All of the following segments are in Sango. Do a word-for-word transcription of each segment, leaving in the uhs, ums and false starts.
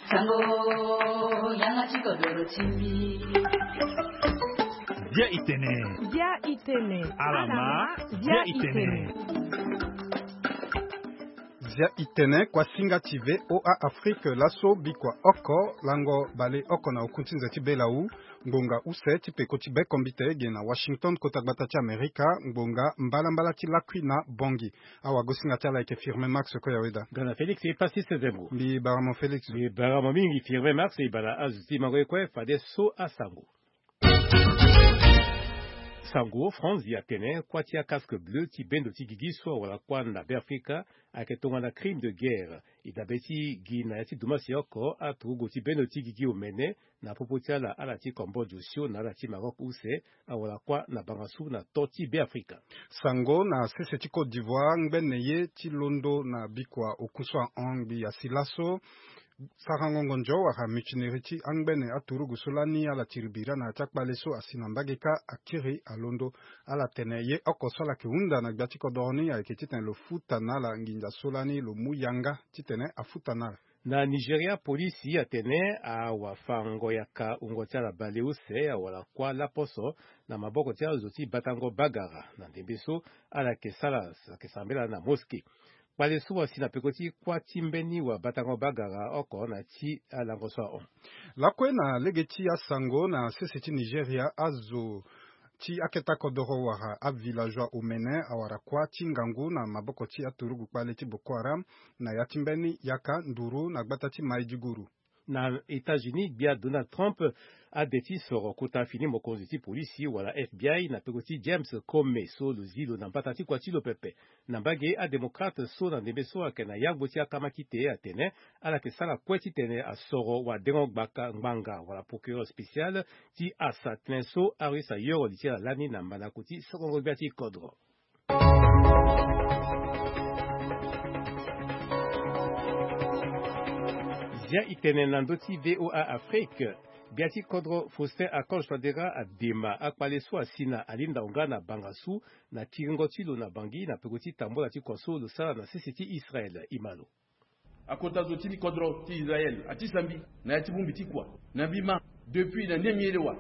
Sango, yanga ti kodoro ti mbi. Bia itene. Bia itene. Alama, bia itene. Zia itene, kuasinga ti V O A Afrique, laso bikua oko, lango bale oko na oku ti nze ti Belau, ngbonga use ti peko ti bekombite ge na Washington, kota gbata ti Amerika, ngbonga mbalambala ti lakui na Bongi. Awagosinga ti ala ayeke Firmin Max Koyaweda. Nga na Félix e pasi sezembo. Mbi bara mo Félix. Mbi bara mo mingi Firmin Max, e bara azo ti mango ye kue, fade so asango. Sango, France atene kuâ ti acasque bleu ti bendo ti gigi so awara kuâ na Beafrika ayeke tongana crime de guerre. E dabe ti gi na ya ti dumasi oko aturugu ti bendo ti gigi omene na popo ti ala, ala ti Cambodge osio na ala ti Maroc use, awara kuâ na bangasu na to ti Beafrika. Sango, na sese ti Côte d'Ivoire, ngbene ye ti londo na bikua oku so ahon ngbii asi laso. Sarango ngonzo wala mutinerie ti angbene aturugu so lani ala tiri bira na ya ti akpale so asi na mbage kâ akiri alondo. Ala tene ye oko so ala yeke hunda na gbia ti kodoro ni ayeke titene lo futa na ala nginza so lani lo mu yanga titene afuta na ala. Na Nigeria, polisi atene awafango yaka wungo ti ala baleuse awara kuâ laposo na maboko ti azo ti batango bagara na ndembe so ala yeke sara, ala yeke sambela na mosquée. Kpale so asi na peko ti kuâ ti mbeni wabatango bagara oko na ti alango so ahon. Lakue na lege ti asango, na sese ti Nigeria, azo ti aketa kodoro wala avillageois omene awara kuâ ti ngangu na maboko ti aturugu kpale ti Boko Haram na ya ti mbeni yaka nduru na gbata ti Maiduguri. Na États-Unis, gbia Donald Trump ade ti soro kota fini mokonzi ti polisi wala F B I na peko ti James Comey so lo zi lo na mbata ti kua ti lo pepe. Na mbage, adémocrate so na ndembe so ayeke na yangbo ti akamakite atene ala yeke sara kue titene asoro wadengo gbaka ngbanga wala procureur spécial ti asa tënë so arusse ayoro li ti ala lani na mandako ti sokongo gbia ti kodro. Zia itene na ndö ti V O A Afrique. Gbia ti kodro Faustin Archange Touadéra adema akpale so asi na alinda onga na bangasu na kiringo ti lo na Bangui na peko ti tambola ti kua so lo sara na sese ti Israël. Imalo. Akota zo ti kodro ti Israël ati sambi na ya ti bongbi ti kua na mbi ma depuis na ni miele wa.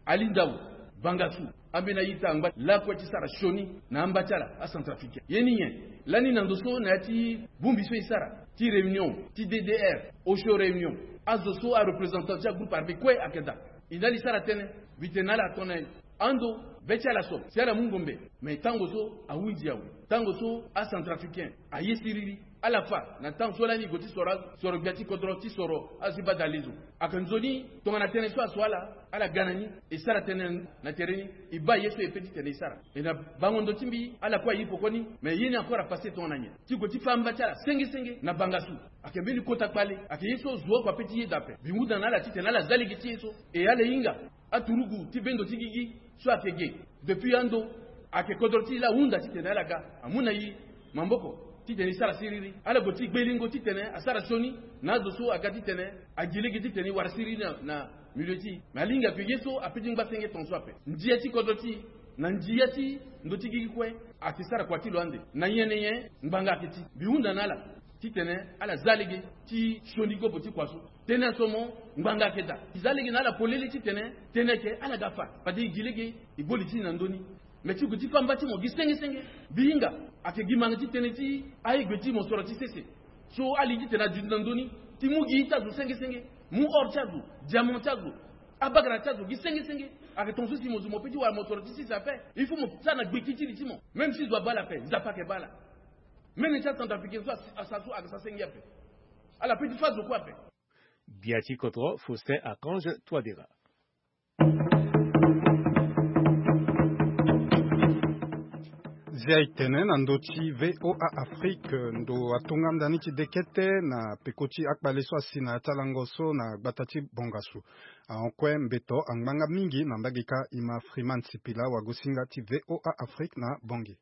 Ali ndau, bangasu, ambeni a-ita angba lakue ti sara sioni na amba ti ala acentrafricain. Ye ni nyen? Lani na ndo so na ya ti bongbi so e sara ti réunion ti D D R, osio réunion, azo so areprésentant ti agroupe armé kue ayeke daa. E na ala e sara tënë, mbi tene na ala atona ando be ti ala so si ala mu ngombe. Me tango so ahunzi awe, tango so acentrafricain aye siriri. Ala fa na ntango so lani e gue ti soro, soro gbia ti kodro ti soro azo ti baa dalezo. Ayeke nzoni tongana tënë so aso ala, ala ga na ni, e sara tënë na tere ni, e baa ye so e pe titene e sara. E na bango ndo ti mbi ala kue aye pekoni. Me ye ni encore apasse tongana nyen? Ti gue ti fa amba ti ala senge senge na bangasu. Ayeke mbeni kota kpale, ayeke ye so zo oko ape ti yeda ape. Mbi hunda na ala titene ala za lege ti ye so. E ala hinga aturugu ti bendo ti gigi so ayeke ge depuis ando. Ayeke kodro ti e laa ahunda titene ala ga amu na e maboko titene e sara siriri. Ala gue ti gbelingo titene asara sioni na azo so aga titene agi lege titene e wara siriri na, na milieu ti e. Me alingbi ayeke ye so ape ti ngba senge tongaso ape. Ndia ti kodro ti e na ndia ti ndo ti gigi kue ayeke sara kua ti lo ande. Na nyen na nyen ngbanga ayeke ti. Mbi hunda na ala titene ala za lege ti sioni gobo ti kua so. Tënë aso mo ngbanga ayeke daa. E za lege na ala polele titene tënë ayeke ala ga fa. Fade e gi lege e gbo li ti e na ndö ni. Me ti gue ti fa mba ti mo gi senge senge. Mbi hinga ayeke gi manga ti tënë ti aye gue ti mosoro ti sese so ala li titene aduti na ndö ni ti mu gi ita zo senge senge. Mu or ti azo, diamant ti azo, abagara ti azo gi senge senge. Ayeke tongaso si mo zo mo pe ti wara mosoro ti sese ape. Il faut mo sara na gbeki ti li ti mo. Même si zo abaa ala ape, Nzapa ayeke baa ala. Mene ti acentrafricain so asa so ayeke sa senge ape. Ala pe ti fa zo kue ape. Gbia ti kodro Faustin Archange Touadéra. Zia e tene na ndö ti V O A Afrique, ndo atonga ndani ti dekete na peko ti akpale so asi na ya ti alango so na gbata ti Bongasu. Ahon kue mbeto angbanga mingi na mbage kâ. E ma Freeman Sipila, wagosinga ti V O A Afrique na Bangui.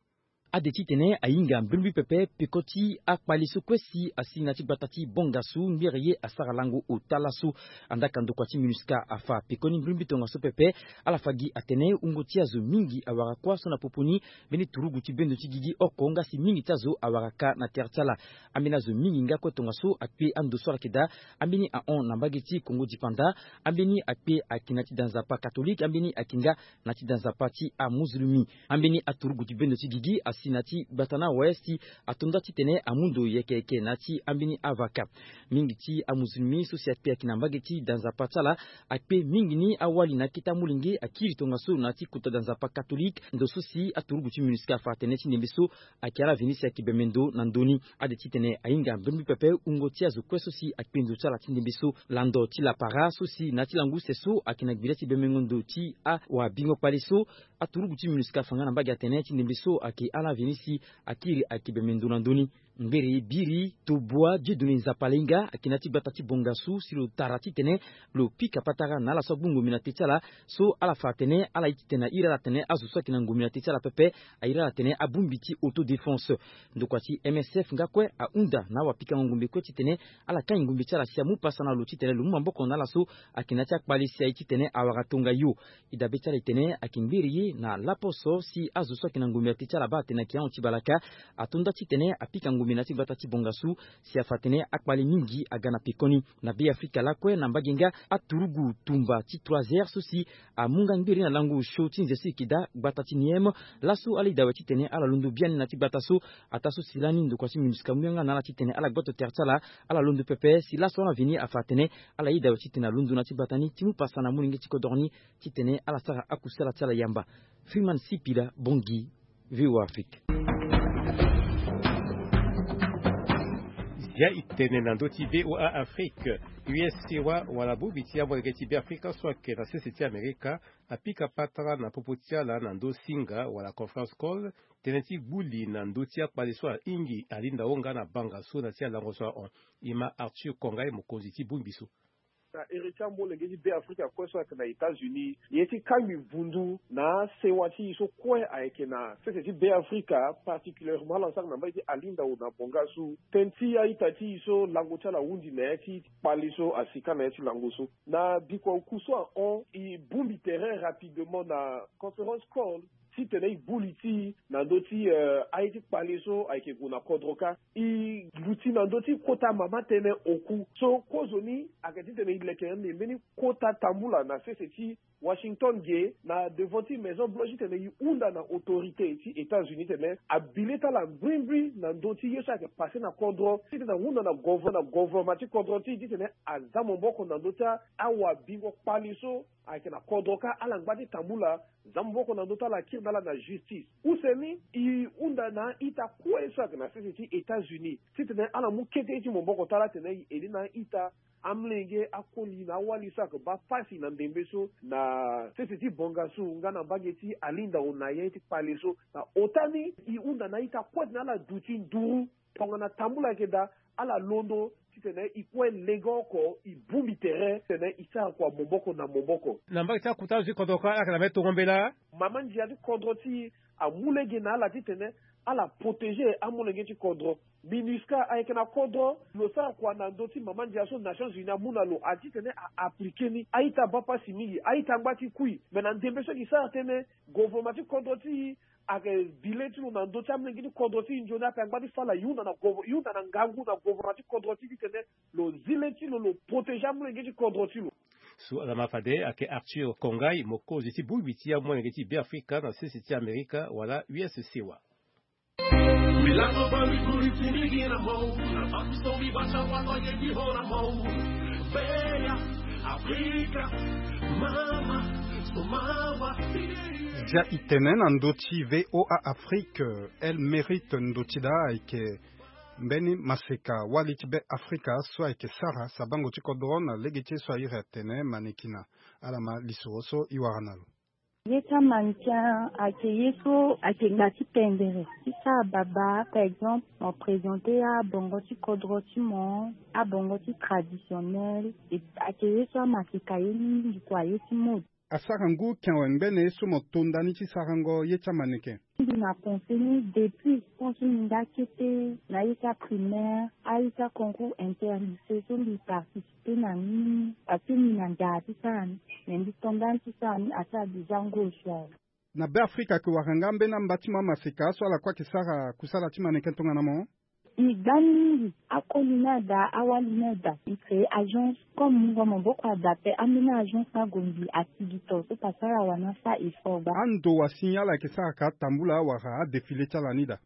Ade titene ahinga mbrimbri pepe peko ti akpale so kue si asi na ti gbata ti Bongasu, ngbere ye asara lango ota laso. Andaka ndokua ti MINUSCA afa pekoni mbrimbri tongaso pepe. Ala fa gi atene wungo ti azo mingi awara kuâ so na popo ni. Mbeni turugu ti bendo ti gigi oko nga si mingi ti azo awara ka na tere ti ala. Ambeni azo mingi nga kue tongaso akpe ando so ala yeke daa. Ambeni ahon na mbage ti Kongo dipanda. Ambeni akpe ayeke na ti da nzapa katolike, ambeni ayeke nga na ti da nzapa ti amuzulumi. Ambeni aturugu ti bendo ti gigi asi na ti gbata ni awe si ato nda titene amu ndo yeke yeke na ti ambeni avaka. Mingi ti amuzulumi so si akpe ayeke na mbage ti da nzapa ti ala akpe mingi ni awali na akete amolenge akiri tongaso na ti kota da nzapa katolike. Ndo so si aturugu ti MINUSCA afa atene ti ndembe so ayeke ala veni si ayeke bembe ndo na ndö ni. Ade titene ahinga mbrimbri pepe wungo ti azo kue so si akpe ndo ti ala ti ndembe so. Lando ti lapara so si na ti lango use so ayeke na gbira ti bembengo ndo ti awabingo kpale so, aturugu ti MINUSCA afa nga na mbage atene ti ndembe so ayeke ala veni si akiri ayeke bembe ndo na ndö ni. Ngbere biri tobua Dieudonné Nzapalainga ayeke na ti gbata ti Bongasu si lo tara titene lo pika patara na ala so agbongombe na te ti ala. So ala fa atene ala ye titene airi ala atene azo so ayeke na ngombe na te ti ala pepe airi ala atene abongbi ti autodéfense. Ndokua ti M S F nga kue ahunda na awapikango ngombe kue titene ala kai ngombe ti ala si amu pasa na lo titene lo mu maboko na ala so ayeke na ya ti akpale si aye titene awara tongayo. E dabe ti ala e tene ayeke ngbere ye na laposo si azo so ayeke na ngombe na te ti ala baa atene ayeke ahon ti balaka. Ato nda titene apika ngombe na ya ti gbata ti Bongasu si afa atene akpale mingi aga na pekoni. Na Beafrika lakue na mbage nga aturugu tumba ti trois heures so si amu nga ngbere na lango osio ti nze so e yeke daa gbata ti Niem. Laso ala yeda awe titene ala londo biani na ya ti gbata so. Ataa so si lani ndokua ti MINUSCA amu yanga na ala titene ala gboto tere ti ala. Ala londo pepe si laso ala veni afa atene ala yeda awe titene alondo na ya ti gbata ni ti mu pasa na molenge ti kodoro ni titene ala sara akusala ti ala yamba. Freeman Sipila, Bangui, V O A Afrique. Zia e tene na ndö ti V O A Afrique. U S C wa wala bongbi ti amolenge ti Beafrika so ayeke na sese ti Amerika apika patara na popo ti ala na ndö singa wala conference call, tënë ti gbuli na ndö ti akpale so ahingi alinda wo nga na banga so na ti alango so ahon. E ma Arthur Kongai, mokonzi ti bongbi so. Na iri ti amolenge ti Beafrika kue so ayeke na États-Unis, ye ti kangbi vundu na asewa ti e so kue ayeke na sese ti Beafrika, particulièrement ala sara na mbage ti Alinda Ona Bongasu, tënë ti a-ita ti e so lango ti ala ahunzi na ya ti kpale so asi ka na ya ti lango so. Na bikua oku so ahon, e bongbi tere rapidement na conference call titene e gbu li ti e na ndö ti, eh, aye ti kpale so ayeke gue na kodro kâ. E luti na ndö ti kota mama tënë oku. So kozoni ayeke titene e leke na mbeni kota tambula na sese ti Washington ge na devant ti Maison Blanche titene e hunda na autorité ti États-Unis titene abi le ti ala mbrimbri na ndö ti ye so ayeke passé na kodro, titene ahunda na gover-, na gouvernement ti kodro ti e titene aza maboko na ndö ti awabingo kpale so ayeke na kodro kâ, ala ngba ti tambula za maboko na ndö ti ala, akiri na ala na justice. Use ni, e hunda na a-ita kue so ayeke na sese ti États-Unis titene ala mu kete ye ti maboko ti ala titene e aide na a-ita, amolenge, akoli na awali so ayeke baa pasi na ndembe so na sese ti Bongasu nga na mbage ti Alinda Ona, ye ti kpale so. Na ota ni, e hunda na a-ita kue titene ala duti nduru tongana tambula ayeke daa, ala londo titene e kue lege oko, e bongbi tere titene e sara kua maboko na maboko. Na mbage ti akota azo ti kodro kâ, ala yeke na mbeni tongo mbela. Mama ndia ti kodro ti e amu lege na ala titene ala protéger amolenge ti kodro. MINUSCA ayeke na kodro, lo sara kua na ndö ti mama ndia so Nations Unies amu na lo, a titene a appliquer ni. A-ita baa pasi mingi, a-ita ngba ti kui. Me na ndembe so e ke sara tënë, gouvernement ti kodro ti e ayeke bi le ti lo na ndö ti amolenge ti kodro ti e. Nzoni ape angba ti fâ ala, e hunda na gover-, e hunda na ngangu na gouvernement ti kodro ti e titene lo zi le ti lo, lo protéger amolenge ti kodro ti lo. So ala ma fade ayeke Arthur Kongai, mokonzi ti bongbi ti amolenge ti Beafrika na sese ti Amerika wala U S C wa. Zia e tene na ndö ti V O A Afrique, El Mérite ndo ti daa ayeke mbeni maseka wali ti Beafrika so ayeke sara sabango ti kodro na lege ti ye so a iri atene manekina. Ala ma lisoro so e wara na lo. Ye ti amanechin ayeke ye so ayeke gba ti pendere ti sara babâ. Par exemple, mo présenter abongo ti kodro ti mo, abongo ti traditionnel, et ayeke ye so amaseka ye mingi kua, ye ti mode. Asara ngu ken awe ngbene ye so mo to ndani ti sarango ye ti amaneke. Mbi na pensé ni depuis tant so mbi nga kete na ita primaire, a ita concours interlycée so mbi participer na ni, parce que mbi na nzara ti sara ni. Mais mbi to ndani ti sara ni asara déjà ngu osio awe. Na Be Afrika ayeke wara nga ambeni amba ti mo amaseka so ala kue ayeke sara kusala ti maneke tongana mo. I gba mingi akoli na ada, awali na ada. I créer agence comme mungo maboko ada pe ambeni agence na gombi asigi to so pasara wana sa effort gba. Ando wa signe ala yeke sara ka atambula wala adéfilé ti ala ni daa.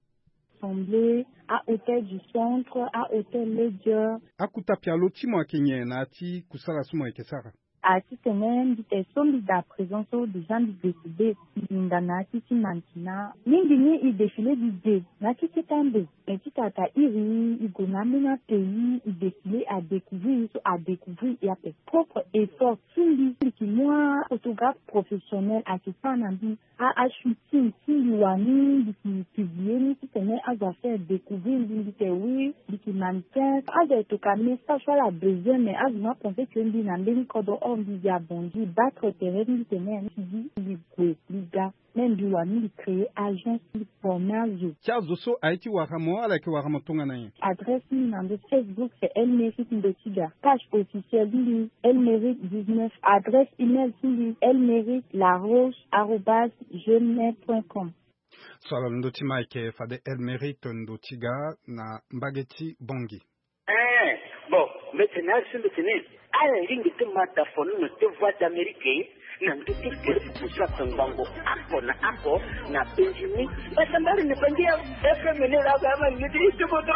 Assemblée, a hôtel du centre, a hôtel Ledger. Akuta pialo ti mo ayeke nyen na ya ti kusala so mo yeke sara? A titene mbi te so mbi daa présent so déjà mbi décidé mbi linda na ya ti ti mantina. Mingi ni i défilé di de na ya ti kete ande. Mais ti tata iri i gue na ambeni apays i défilé a découvrir so a découvrir i ape. Propre effort ti mbi mbi ki mu aphotographe professionnel ayeke sara na mbi a ashooting ti mbi wani mbi ki publié ni titene azo afaire découvrir mbi mbi te oui. Mbi ki mannequin azo ayeke toka message so ala besoin mais azo ni apensé que mbi na mbeni kodro or mbi gi abongi battre terrain mbi tene mbi ti gi mbi gue mbi ga. Même mbi wani mbi créer agence mbi former azo. Ti azo so aye ti wara mo ala yeke wara mo tongana nyen? Adresse ti mbi na ndo Facebook c'est Elmeric Ndotiga. Page officielle ti mbi Elmeric dix-neuf. Adresse email ti mbi Elmeric Laroche arobase gmail point com. So ala londo ti ma ayeke fade Elmeric Ndotiga na mbage ti Bangui. Eh, bon, mbetene asi mbetene ala ringi ti ma da fonono ti Voix d'Amérique na ndö ti kiri ti pusu ape ngbongo oko na oko na penzi ni. Basambari ni bangi ya F M ni la ba ma ni ti ti bodo.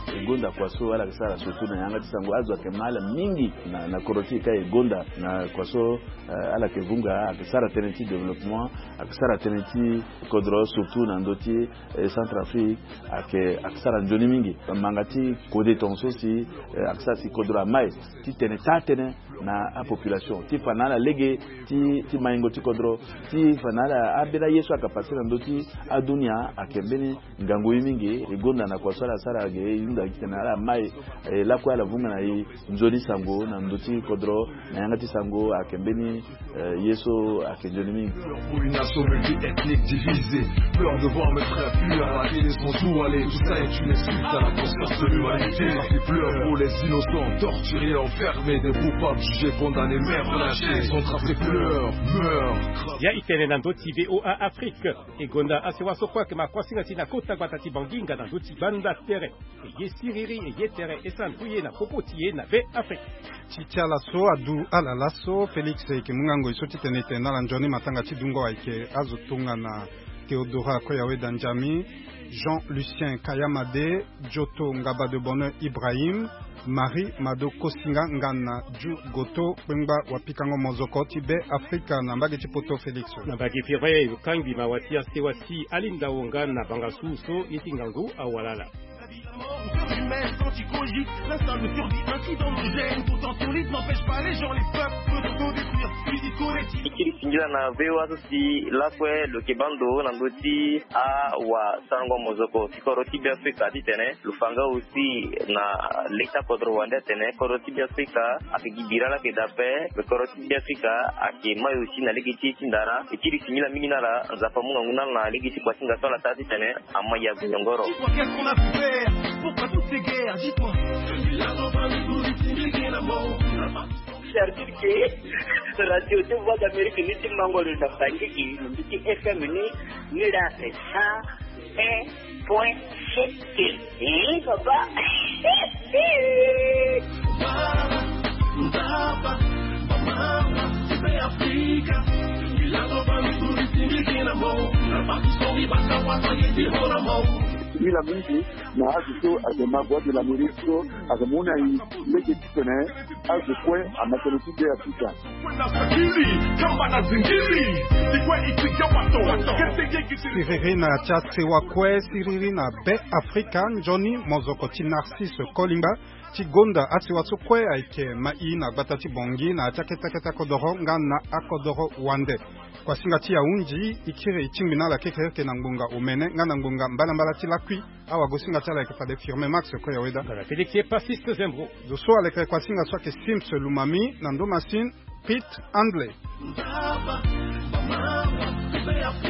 E gonda kua so ala yeke sara surtout na yanga ti sango azo ayeke ma ala mingi na, na kodro ti e ka e gonda na kua so, eh, ala yeke vunga ayeke sara tënë ti développement, ayeke sara tënë ti kodro surtout na ndö ti, eh, Centrafrique, ayeke, ayeke sara nzoni mingi. Manga ti kode tongaso si, eh, ayeke sara si kodro amai titene taa tënë na apopulation ti fa na ala lege ti, ti maingo ti kodro ti fa na ala ambeni aye so ayeke pase na ndö ti adunia ayeke mbeni ngangu ye mingi. E gonda na kua so ala sara ge e hunda gi titene ala mai, eh, lakue ala vunga na e nzoni sango na ndö ti kodro na yanga ti sango ayeke mbeni, eh, ye so ayeke nzoni mingi. Pour une nation multi-ethnique divisée, peur de voir mes frères fuir à la télé sans où aller, tout ça est une insulte à la conscience de l'humanité. Ça fait pleurer pour les innocents, torturés, enfermés, des coupables jugés, condamnés, mères lâchées, sont tracés, pleurent, meurent. Ya i tene na ndö ti V O A Afrique. E gonda asewa so kue ayeke ma kuasinga ti na kota gbata ti Bangui nga na ndö ti banda tere. E ye siriri e ye tere e sara ndu ye na popo ti e na Be Afrika. Ti ti ala so adu ala laso Félix e yeke mu nga ngoi so titene e tene na ala nzoni matanga ti dungo ayeke azo tongana Théodora Koyaweda Nzami, Jean Lucien Kayamade, Joto Ngaba de Bonheur Ibrahim, Marie Mado Kosinga nga na Ju Goto kpengba wapikango mozoko ti Be Afrika na mbage ti poto Félix. Na mbage firme e kangbi mawa ti asewa si alinda wo nga na banga su so ye ti ngangu awalala. E kiri singila na V O A so si lakue lo yeke baa ndo na ndö ti awasarango mozoko ti kodro ti Be Afrika titene lo fa nga aussi na lege ti akodro wande atene kodro ti Be Afrika ayeke gi bira laa ayeke daa ape. Me kodro ti Be Afrika ayeke mai aussi na lege ti ye ti ndara. E kiri singila mingi na ala, Nzapa amu ngangu na ala na lege ti kuasinga so ala sara titene amai ague nyongoro. C'est-à-dire que radio ti Voix d'Amérique ni ti mango lo na Bangui, lo mbi ti F M ni, ni la c'est cent un point sept. Eh, papa. Singila mingi na azo so ayeke ma Voix de l'Amérique so ayeke mu na e lege titene azo kue amatene ti Be Afrika. Siriri na ti asewa kue, siriri na Be Afrika, nzoni mozoko ti Narcisse Kolingba. Ti gonda asiwa so kue ayeke ma i na gbata ti Bangui na ya ti akete akete akodoro nga na akodoro wande. Kuasinga ti ahunzi i kiri i tingbi na ala kekereke na ngbonga omene nga na ngbonga mbalambala ti lakui. Awagosinga ti ala ayeke fade Firme Max Koyaweda. Félix Passiste Zembro. Zo so aleke kuasinga so ayeke Sims Lumami na ndo masine Pete Handley.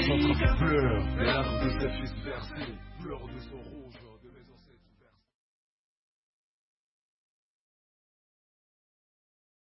Centre pleure, larmes de ses fils versés, pleure de son